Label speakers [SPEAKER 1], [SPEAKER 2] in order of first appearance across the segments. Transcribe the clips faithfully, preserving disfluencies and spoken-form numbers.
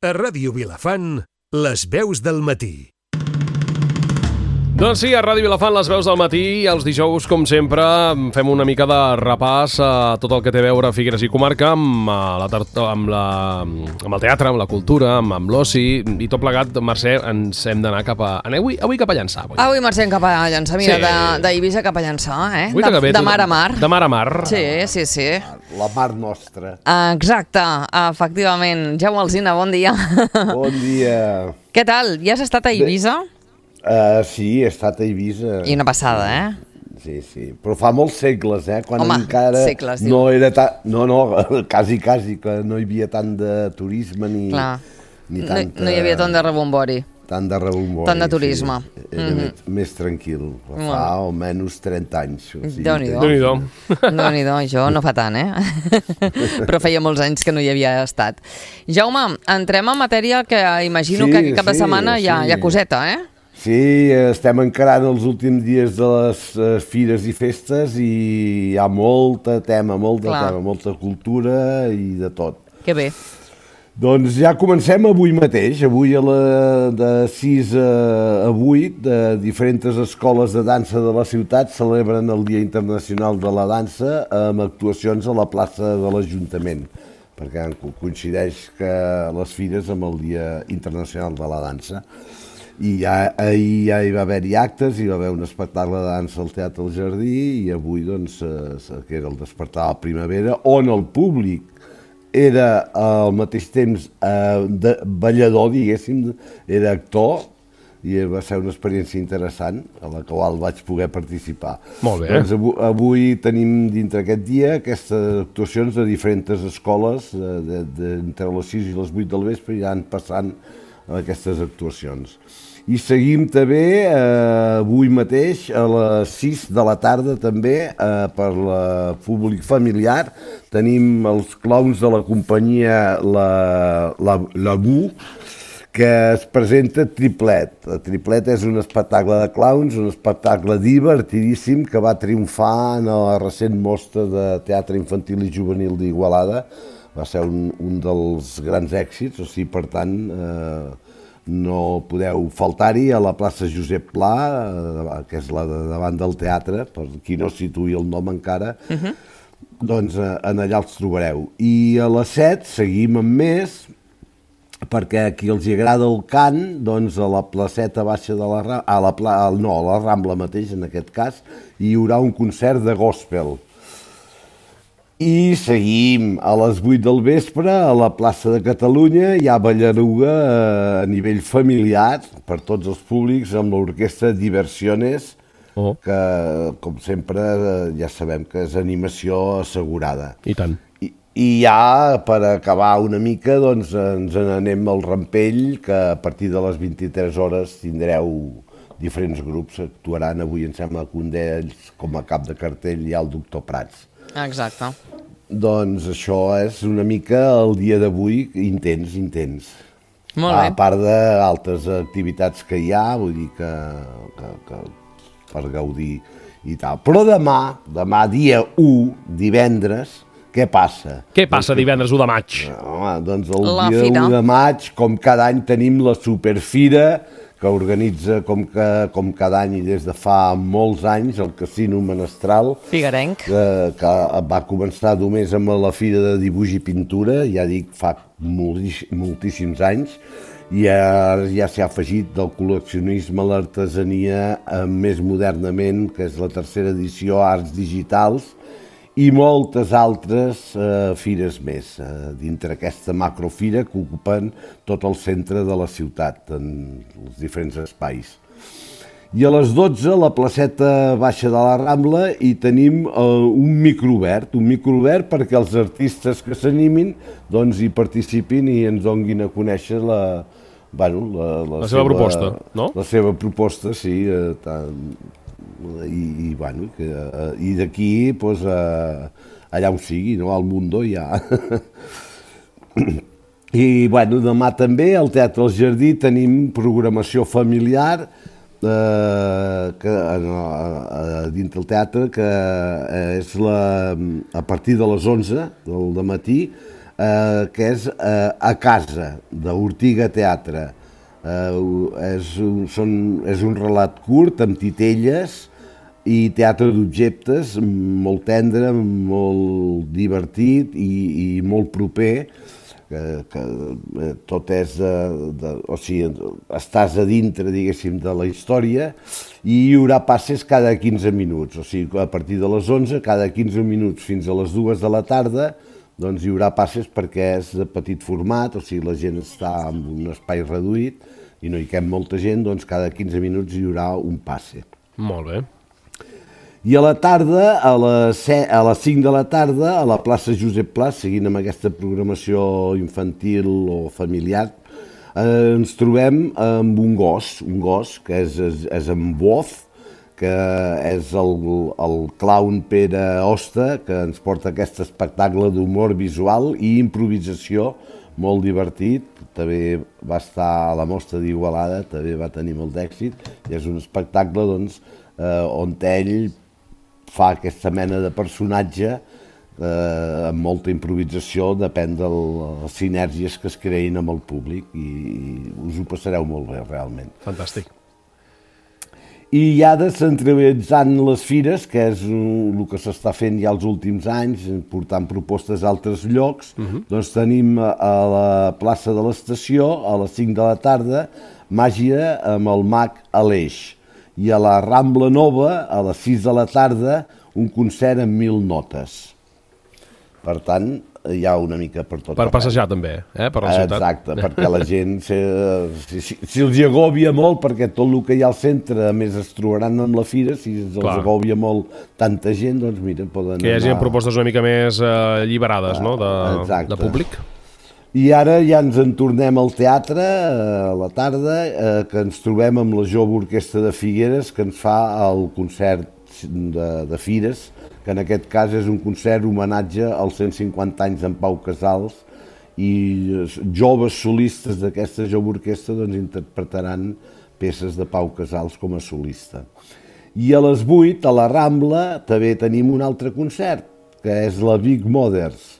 [SPEAKER 1] A Ràdio Vilafant, les veus del matí.
[SPEAKER 2] Doncs sí, a Ràdio Vilafant, les veus del matí, els dijous, com sempre, fem una mica de repàs a tot el que té a veure Figueres i comarca amb, la, amb, la, amb el teatre, amb la cultura, amb, amb l'oci i tot plegat. Mercè, ens hem d'anar cap a... Avui, avui cap a Llançà. Avui,
[SPEAKER 3] avui marxem cap a Llançà, mira, sí. d'Eivissa cap a Llançà, eh? De, de, de mar a mar.
[SPEAKER 2] De mar a mar.
[SPEAKER 3] Sí, sí, sí.
[SPEAKER 4] La mar nostra.
[SPEAKER 3] Exacte, efectivament. Jaume Alsina, bon dia.
[SPEAKER 4] Bon dia.
[SPEAKER 3] Què tal? Ja has estat a Eivissa?
[SPEAKER 4] Uh, sí, he estat a Eivissa.
[SPEAKER 3] I una passada, eh?
[SPEAKER 4] Sí, sí. Però fa molts segles, eh? Quan
[SPEAKER 3] Home,
[SPEAKER 4] encara
[SPEAKER 3] segles,
[SPEAKER 4] no era ta... No, no, quasi, quasi, que no hi havia tant de turisme ni...
[SPEAKER 3] Clar.
[SPEAKER 4] ni tanta...
[SPEAKER 3] no, no hi havia tant de rebombori.
[SPEAKER 4] Tant de rebombori.
[SPEAKER 3] Tant de turisme.
[SPEAKER 4] Sí. Era mm-hmm. més, més tranquil. Fa bueno. almenys trenta anys. O sigui,
[SPEAKER 3] Déu-n'hi-do.
[SPEAKER 2] Déu-n'hi-do.
[SPEAKER 3] Déu-n'hi-do, jo no fa tant, eh? Però feia molts anys que no hi havia estat. Jaume, entrem en matèria que imagino
[SPEAKER 4] sí,
[SPEAKER 3] que cap de
[SPEAKER 4] sí,
[SPEAKER 3] setmana
[SPEAKER 4] sí.
[SPEAKER 3] hi ha, hi ha coseta, eh?
[SPEAKER 4] Sí, estem encarant els últims dies de les uh, fires i festes i hi ha molta tema, molta
[SPEAKER 3] Clar.
[SPEAKER 4] tema, molta cultura i de tot.
[SPEAKER 3] Que bé.
[SPEAKER 4] Doncs ja comencem avui mateix, avui a la, de sis a vuit, de diferents escoles de dansa de la ciutat celebren el Dia Internacional de la Dansa amb actuacions a la plaça de l'Ajuntament, perquè coincideix que les fires amb el Dia Internacional de la Dansa. I ja, ahir ja hi va haver-hi actes, hi va haver un espectacle de dansa al Teatre del Jardí i avui, doncs, eh, que era el Despertar de la Primavera, on el públic era al mateix temps eh, de ballador, diguéssim, era actor, i va ser una experiència interessant a la qual vaig poder participar.
[SPEAKER 2] Molt bé.
[SPEAKER 4] Doncs avui, avui tenim dintre aquest dia aquestes actuacions de diferents escoles, de, de, de, entre les sis i les vuit del vespre, i ja han passant aquestes actuacions. I seguim també eh, avui mateix a les sis de la tarda també eh, per la públic familiar. Tenim els clowns de la companyia La, la, la Bu, que es presenta Triplet. Triplet és un espectacle de clowns, un espectacle divertidíssim que va triomfar en la recent mostra de teatre infantil i juvenil d'Igualada. Va ser un, un dels grans èxits, o sigui, per tant, eh, no podeu faltar-hi a la plaça Josep Pla, eh, que és la de davant del teatre, per qui no situï el nom encara, uh-huh. doncs eh, en allà els trobareu. I a les set seguim amb més, perquè a qui els agrada el cant, doncs a la placeta baixa de la Rambla, a la, pla, no, a la Rambla mateix en aquest cas, hi haurà un concert de gospel. I seguim a les vuit del vespre a la plaça de Catalunya, hi ha ballaruga a nivell familiar per tots els públics amb l'orquestra Diversiones, oh. que com sempre ja sabem que és animació assegurada.
[SPEAKER 2] I tant.
[SPEAKER 4] I, i ja per acabar una mica doncs ens n'anem al Rampell, que a partir de les vint-i-tres hores tindreu diferents grups, actuaran avui em sembla que un d'ells com a cap de cartell hi ha el doctor Prats.
[SPEAKER 3] Exacte.
[SPEAKER 4] Doncs això és una mica el dia d'avui intens, intens.
[SPEAKER 3] Molt bé.
[SPEAKER 4] A part d'altres activitats que hi ha, vull dir que, que, que per gaudir i tal. Però demà, demà dia u, divendres, què passa?
[SPEAKER 2] Què passa doncs, divendres u de maig?
[SPEAKER 4] Home, doncs el
[SPEAKER 3] la
[SPEAKER 4] dia
[SPEAKER 3] fira.
[SPEAKER 4] u de maig, com cada any tenim la Superfira, que organitza com, que, com cada any i des de fa molts anys el Casino Menestral.
[SPEAKER 3] Figuerenc.
[SPEAKER 4] Que, que va començar només amb la Fira de Dibuix i Pintura, ja dic, fa moltíssims anys, i ara ja s'ha afegit del col·leccionisme a l'artesania més modernament, que és la tercera edició Arts Digitals, i moltes altres eh, fires més, eh, dintre aquesta macrofira que ocupen tot el centre de la ciutat, en els diferents espais. I a les dotze, a la placeta baixa de la Rambla, hi tenim eh, un microobert, un microobert perquè els artistes que s'animin doncs, hi participin i ens donguin a conèixer la, bueno, la, la,
[SPEAKER 2] la seva, seva proposta, no?
[SPEAKER 4] La seva proposta, sí, eh, tant... i, i, bueno, que, uh, i d'aquí pues, uh, allà on sigui, no? Al Mundo ja. I bueno, demà també al Teatre del Jardí tenim programació familiar eh, que, uh, dintre el teatre, que és la, a partir de les onze del matí eh, que és eh, A casa, d'Ortiga Teatre. Eh, és, un, són, és un relat curt amb titelles i teatre d'objectes, molt tendre, molt divertit i, i molt proper, que, que tot és de, de, o sigui, estàs a dintre, diguéssim, de la història, i hi haurà passes cada quinze minuts, o sigui, a partir de les onze, cada quinze minuts fins a les dues de la tarda, doncs hi haurà passes perquè és de petit format, o sigui, la gent està en un espai reduït i no hi cap molta gent, doncs cada quinze minuts hi haurà un passe.
[SPEAKER 2] Molt bé.
[SPEAKER 4] I a la tarda, a les, a les cinc de la tarda, a la plaça Josep Pla, seguint amb aquesta programació infantil o familiar, eh, ens trobem amb un gos, un gos que és, és, és en Boz, que és el, el clown Pere Hoste, que ens porta aquest espectacle d'humor visual i improvisació molt divertit. També va estar a la Mostra d'Igualada, també va tenir molt d'èxit, i és un espectacle doncs, eh, on ell fa aquesta mena de personatge eh, amb molta improvisació, depèn de les sinergies que es creïn amb el públic, i, i us ho passareu molt bé, realment.
[SPEAKER 2] Fantàstic.
[SPEAKER 4] I ja descentralitzant les fires, que és el que s'està fent ja els últims anys, portant propostes a altres llocs, uh-huh. doncs tenim a la plaça de l'Estació, a les cinc de la tarda, màgia amb el mag Aleix. I a la Rambla Nova, a les sis de la tarda, un concert amb mil notes. Per tant, hi ha una mica per tot.
[SPEAKER 2] Per passejar també, eh? Per la ciutat.
[SPEAKER 4] Exacte, perquè la gent, si, si, si els hi agòbia molt, perquè tot el que hi ha al centre, a més es trobaran amb la fira, si els Clar. agòbia molt tanta gent, doncs mira, poden
[SPEAKER 2] Que hi hagi
[SPEAKER 4] anar...
[SPEAKER 2] propostes una mica més eh, alliberades, no?, de, de públic.
[SPEAKER 4] I ara ja ens en tornem al teatre, a la tarda, eh, que ens trobem amb la Jove Orquestra de Figueres, que ens fa el concert de, de Fires, que en aquest cas és un concert homenatge als cent cinquanta anys d'en Pau Casals, i joves solistes d'aquesta Jove Orquestra doncs, interpretaran peces de Pau Casals com a solista. I a les vuit, a la Rambla, també tenim un altre concert, que és la Big Mothers,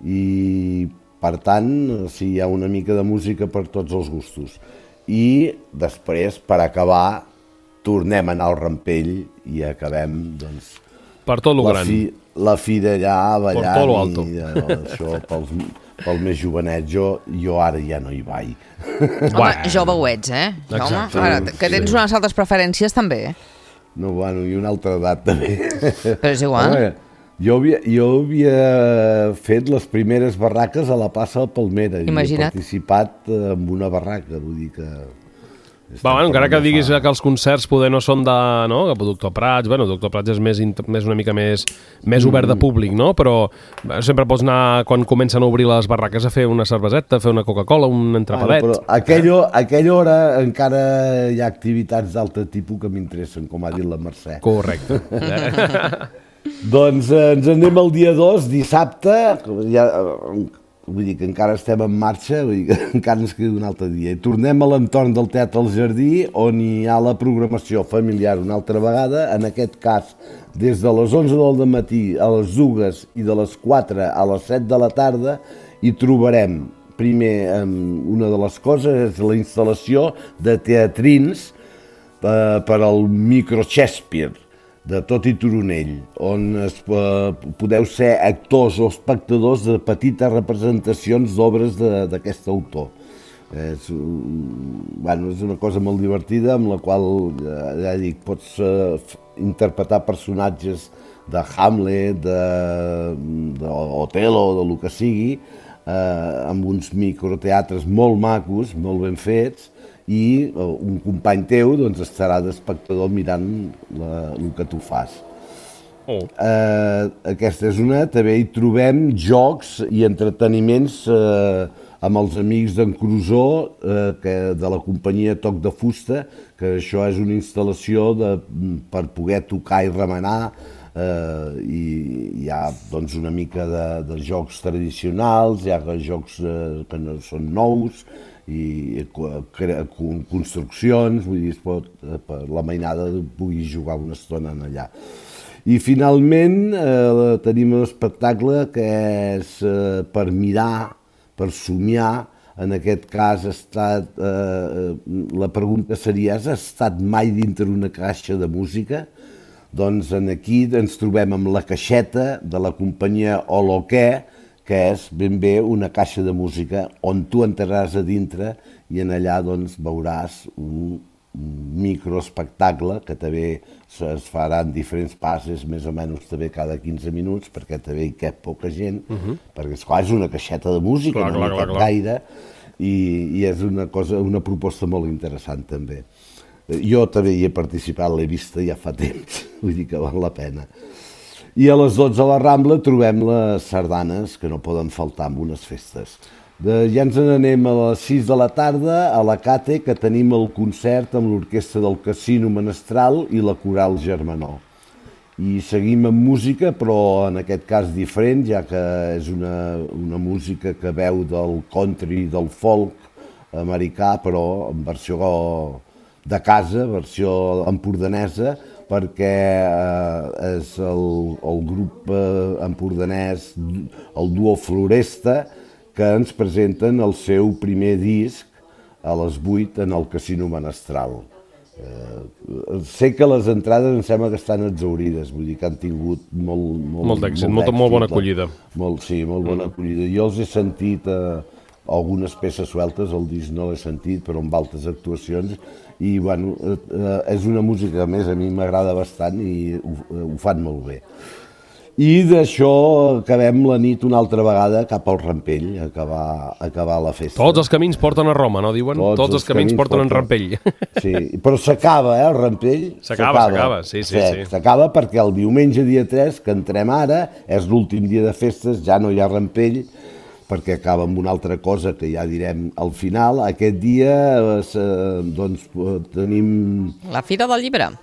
[SPEAKER 4] i per tant, sí, hi ha una mica de música per tots els gustos. I després, per acabar, tornem a anar al Rampell i acabem, doncs...
[SPEAKER 2] Per tot lo
[SPEAKER 4] la
[SPEAKER 2] gran.
[SPEAKER 4] Fi, la fi d'allà, ballant...
[SPEAKER 2] Per tot lo alto.
[SPEAKER 4] I, això, pels, pels més jovenets, jo, jo ara ja no hi vaig.
[SPEAKER 3] Home, jove ho ets, eh?
[SPEAKER 2] Exacte.
[SPEAKER 3] Home, ara, que tens unes altres preferències, també.
[SPEAKER 4] No, bueno, i una altra edat, també.
[SPEAKER 3] Però és igual.
[SPEAKER 4] Home, Jo havia, jo havia fet les primeres barraques a la plaça de Palmera.
[SPEAKER 3] Imagina't.
[SPEAKER 4] I he participat en una barraca, vull dir que...
[SPEAKER 2] Va, bueno, encara que diguis fa... que els concerts poder no són de... No? Que Doctor Prats, bueno, Doctor Prats és més, més una mica més, més obert de públic, no? Però sempre pots anar, quan comencen a obrir les barraques, a fer una cerveseta, a fer una Coca-Cola, un entrepadet.
[SPEAKER 4] Bueno, però aquella, aquella hora encara hi ha activitats d'altre tipus que m'interessen, com ha dit la Mercè.
[SPEAKER 2] Correcte.
[SPEAKER 4] Doncs eh, ens anem el dia dos, dissabte, ja, vull dir que encara estem en marxa, vull dir que encara ens queda un altre dia. I tornem a l'entorn del Teatre al Jardí, on hi ha la programació familiar una altra vegada, en aquest cas des de les onze del matí a les dues i de les quatre a les set de la tarda, hi trobarem, primer, una de les coses és la instal·lació de teatrins eh, per al micro Shakespeare, de Tot i Turonell, on es, eh, podeu ser actors o espectadors de petites representacions d'obres d'aquest autor. És, bueno, és una cosa molt divertida, amb la qual, ja, ja dic, pots eh, interpretar personatges de Hamlet, d'Otelo, de, de lo que sigui, eh, amb uns microteatres molt macos, molt ben fets, i un company teu doncs, estarà d'espectador mirant la, el que tu fas. Oh. Eh, aquesta és una. També hi trobem jocs i entreteniments eh, amb els amics d'en Crusó, eh, que, de la companyia Toc de Fusta, que això és una instal·lació de, per poder tocar i remenar, eh, i hi ha doncs, una mica de, de jocs tradicionals, hi ha jocs eh, que no són nous, i construccions, vull dir, es pot, per la mainada pugui jugar una estona allà. I finalment eh, tenim un espectacle que és eh, per mirar, per somiar. En aquest cas ha estat, eh, la pregunta seria, has estat mai dintre una caixa de música? Doncs aquí ens trobem amb la caixeta de la companyia Holoqué, que és ben bé una caixa de música on tu entraràs a dintre i en allà doncs, veuràs un microespectacle que també es faran diferents passes, més o menys també cada quinze minuts, perquè també hi cap poca gent, uh -huh. perquè esclar, és una caixeta de música, clar, no clar, hi cap clar, gaire, i, i és una cosa, una proposta molt interessant també. Jo també hi he participat, l'he vista ja fa temps, vull dir que val la pena. I a les dotze a la Rambla trobem les sardanes que no poden faltar en unes festes. De, ja ens n'anem a les sis de la tarda a la Cate, que tenim el concert amb l'orquestra del Casino Menestral i la Coral Germanó. I seguim amb música, però en aquest cas diferent, ja que és una, una música que veu del country, del folk americà, però en versió de casa, versió empordanesa, perquè eh, és el, el grup eh, empordanès, el duo Floresta, que ens presenten el seu primer disc a les vuit en el Casino Menestral. Eh, sé que les entrades em sembla que estan exaurides, vull dir que han tingut molt, molt,
[SPEAKER 2] molt d'èxit, molt, molt bona acollida.
[SPEAKER 4] Molt, sí, molt bona mm. acollida. Jo els he sentit eh, algunes peces sueltes, el disc no l'he sentit, però amb altres actuacions, i bueno, eh, és una música que a més a mi m'agrada bastant i ho, ho fan molt bé. I d'això acabem la nit una altra vegada cap al Rampell, a acabar, a acabar la festa.
[SPEAKER 2] Tots els camins porten a Roma, no diuen? Tots, Tots els, els camins, camins porten, porten en Rampell.
[SPEAKER 4] Sí, però s'acaba, eh, el Rampell.
[SPEAKER 2] S'acaba, s'acaba, sí, sí, sí.
[SPEAKER 4] S'acaba perquè el diumenge dia tres, que entrem ara, és l'últim dia de festes, ja no hi ha Rampell, perquè acaba amb una altra cosa que ja direm al final. Aquest dia eh, doncs, tenim...
[SPEAKER 3] La Fira del Llibre.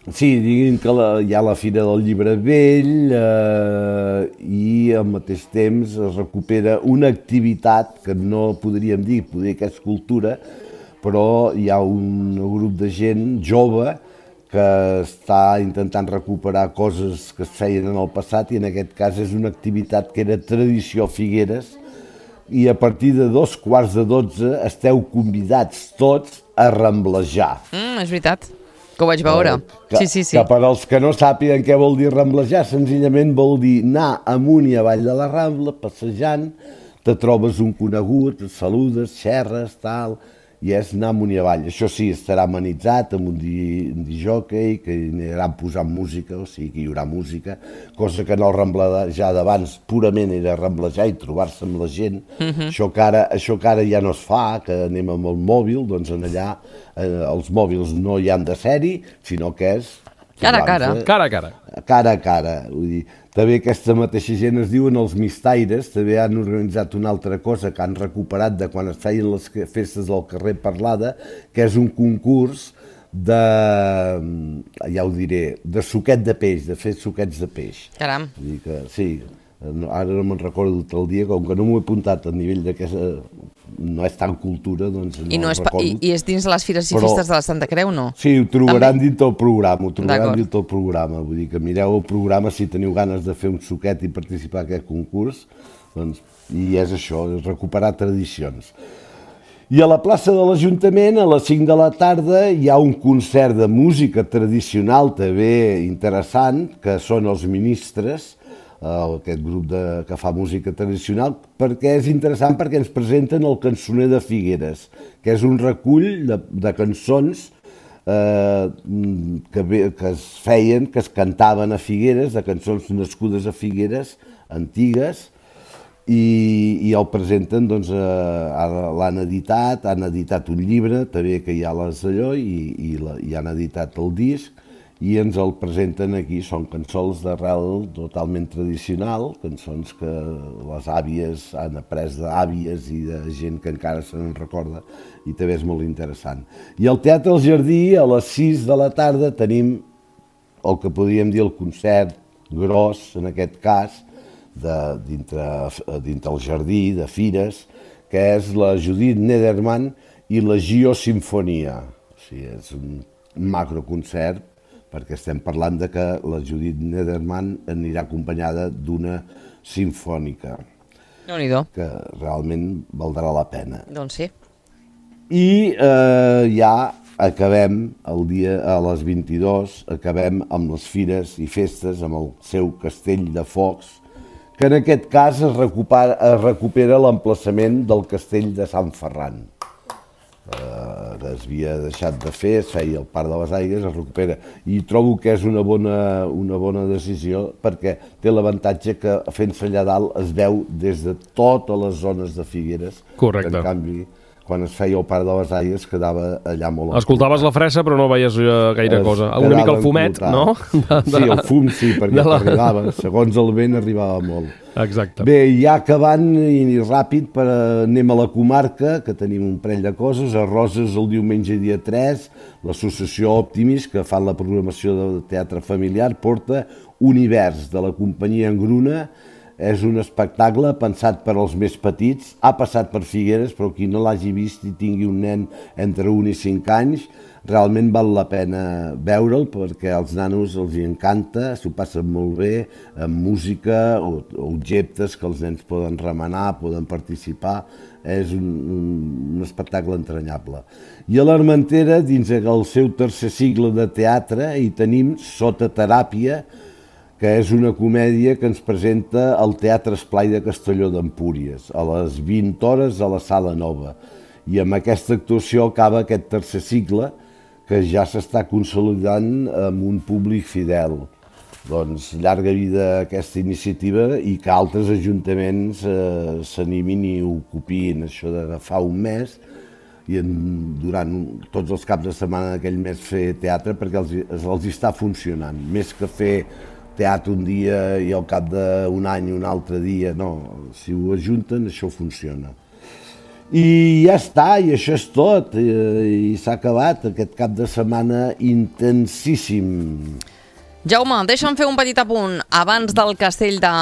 [SPEAKER 4] Sí, diguin que la, hi ha la Fira del Llibre Vell eh, i al mateix temps es recupera una activitat que no podríem dir, podria que és cultura, però hi ha un grup de gent jove que està intentant recuperar coses que es feien en el passat i en aquest cas és una activitat que era tradició a Figueres i a partir de dos quarts de dotze esteu convidats tots a ramblejar.
[SPEAKER 3] Mm, és veritat. Que ho vaig veure.
[SPEAKER 4] Que,
[SPEAKER 3] sí, sí, sí.
[SPEAKER 4] Que per als que no sàpiguen què vol dir ramblejar, senzillament vol dir anar amunt i avall de la Rambla, passejant, te trobes un conegut, et saludes, xerres, tal, i és anar amunt i avall. Això sí, estarà amenitzat amb un disjockey, que aniran posant música, o sigui que hi haurà música, cosa que en el ramblejar d'abans purament era ramblejar i trobar-se amb la gent. Uh-huh. Això, que ara, això que ara ja no es fa, que anem amb el mòbil, doncs en allà eh, els mòbils no hi han de ser-hi, sinó que és...
[SPEAKER 3] Cara a cara.
[SPEAKER 2] Cara a cara.
[SPEAKER 4] Cara a cara. Vull dir, també aquesta mateixa gent es diuen els mistaires, també han organitzat una altra cosa que han recuperat de quan es feien les festes del carrer Parlada, que és un concurs de, ja ho diré, de suquet de peix, de fer suquets de peix.
[SPEAKER 3] Caram.
[SPEAKER 4] Vull dir que, sí, ara no me'n recordo tot el dia, com que no m'ho he apuntat a nivell de que no és tan cultura, doncs no
[SPEAKER 3] I, no és
[SPEAKER 4] recordo.
[SPEAKER 3] I, I és dins les Fires i Festes de la Santa Creu, no?
[SPEAKER 4] Sí, ho trobaran dins del programa, ho trobaran dins del programa. Vull dir que mireu el programa si teniu ganes de fer un suquet i participar en aquest concurs, doncs, i és això, és recuperar tradicions. I a la plaça de l'Ajuntament, a les cinc de la tarda, hi ha un concert de música tradicional també interessant, que són els Ministres, aquest grup de, que fa música tradicional, perquè és interessant perquè ens presenten el Cançoner de Figueres, que és un recull de, de cançons eh, que, que es feien, que es cantaven a Figueres, de cançons nascudes a Figueres, antigues, i, i el presenten, doncs, eh, l'han editat, han editat un llibre, també que hi ha les d'allò, i, i, la, i han editat el disc, i ens el presenten aquí, són cançons d'arrel totalment tradicional, cançons que les àvies han après d'àvies i de gent que encara se n'en recorda, i també és molt interessant. I al Teatre El Jardí, a les sis de la tarda, tenim el que podríem dir el concert gros, en aquest cas, de, dintre, dintre el Jardí, de Fires, que és la Judith Nederman i la Gio Sinfonia. O sigui, és un macroconcert perquè estem parlant de que la Judith Nederman anirà acompanyada d'una simfònica,
[SPEAKER 3] Déu-n'hi-do.
[SPEAKER 4] que realment valdrà la pena.
[SPEAKER 3] Doncs sí.
[SPEAKER 4] I eh, ja acabem, el dia a les vint-i-dues, acabem amb les fires i festes, amb el seu castell de focs, que en aquest cas es recupera, es recupera l'emplaçament del castell de Sant Ferran. Eh, que es havia deixat de fer, es feia el Parc de les Aigües, es recupera. I trobo que és una bona, una bona decisió perquè té l'avantatge que fent-se allà dalt es veu des de totes les zones de Figueres.
[SPEAKER 2] Correcte.
[SPEAKER 4] En canvi, quan es feia el Parc de les Aigües quedava allà molt...
[SPEAKER 2] Escoltaves la fressa però no veies uh, gaire
[SPEAKER 4] es
[SPEAKER 2] cosa. Una mica el fumet, no?
[SPEAKER 4] De, de, sí, el fum sí, perquè
[SPEAKER 2] la...
[SPEAKER 4] arribava. Segons el vent arribava molt.
[SPEAKER 2] Exacte.
[SPEAKER 4] Bé, ja acabant i ràpid, per, anem a la comarca, que tenim un parell de coses. A Roses, el diumenge dia tres, l'associació Optimis, que fa la programació del teatre familiar, porta Univers, de la companyia Engruna. És un espectacle pensat per als més petits. Ha passat per Figueres, però qui no l'hagi vist i tingui un nen entre un i cinc anys, realment val la pena veure'l perquè als nanos els hi encanta, s'ho passen molt bé, amb música o objectes que els nens poden remenar, poden participar. És un, un, un espectacle entranyable. I a l'Armentera, dins el seu tercer cicle de teatre, hi tenim Sota teràpia, que és una comèdia que ens presenta el Teatre Esplai de Castelló d'Empúries, a les vint hores a la Sala Nova. I amb aquesta actuació acaba aquest tercer cicle, que ja s'està consolidant amb un públic fidel. Doncs llarga vida a aquesta iniciativa i que altres ajuntaments eh, s'animin i ocupin això d'agafar un mes i en, durant tots els caps de setmana d'aquell mes fer teatre perquè els, els està funcionant, més que fer teatre un dia i al cap d'un any un altre dia, no, si ho ajunten això funciona. I ja està, i això és tot, i, i s'ha acabat aquest cap de setmana intensíssim.
[SPEAKER 3] Jaume, deixa'm fer un petit apunt. Abans del Castell de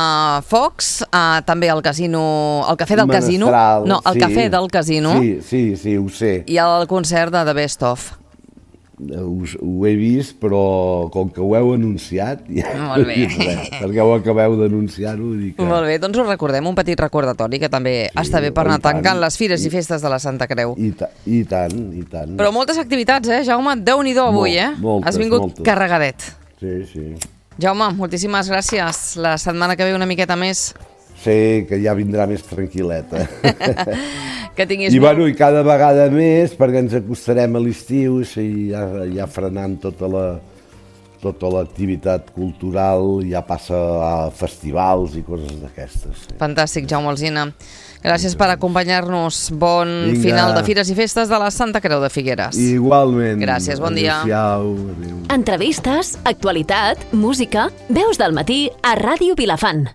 [SPEAKER 3] Focs, eh, també el casino, el cafè del casino,
[SPEAKER 4] Menestral,
[SPEAKER 3] no, el
[SPEAKER 4] sí,
[SPEAKER 3] cafè del casino,
[SPEAKER 4] sí, sí, sí, ho sé.
[SPEAKER 3] i el concert de The Best Of.
[SPEAKER 4] Ho, ho he vist, però com que ho heu anunciat, ja
[SPEAKER 3] Molt bé.
[SPEAKER 4] no he dit res, perquè ho acabeu d'anunciar-ho. Que...
[SPEAKER 3] Molt bé, doncs ho recordem, un petit recordatori que també sí, està bé per anar tancant les fires i festes de la Santa Creu.
[SPEAKER 4] I, ta I tant, i tant.
[SPEAKER 3] Però moltes activitats, eh, Jaume? Déu-n'hi-do avui, eh?
[SPEAKER 4] Moltes,
[SPEAKER 3] Has vingut
[SPEAKER 4] moltes.
[SPEAKER 3] carregadet.
[SPEAKER 4] Sí, sí.
[SPEAKER 3] Jaume, moltíssimes gràcies. La setmana que ve una miqueta més.
[SPEAKER 4] Sí, que ja vindrà més tranquil·leta.
[SPEAKER 3] Que tinguis
[SPEAKER 4] I,
[SPEAKER 3] molt...
[SPEAKER 4] bueno, I cada vegada més, perquè ens acostarem a l'estiu, i ja, ja frenant tota la tota l'activitat cultural, ja passa a festivals i coses d'aquestes. Sí.
[SPEAKER 3] Fantàstic, Jaume Alsina. Gràcies per acompanyar-nos. Bon
[SPEAKER 4] Vinga.
[SPEAKER 3] final de Fires i Festes de la Santa Creu de Figueres.
[SPEAKER 4] Igualment.
[SPEAKER 3] Gràcies, bon dia.
[SPEAKER 4] Adéu-siau. Adéu.
[SPEAKER 5] Entrevistes, actualitat, música, veus del matí a Ràdio Vilafant.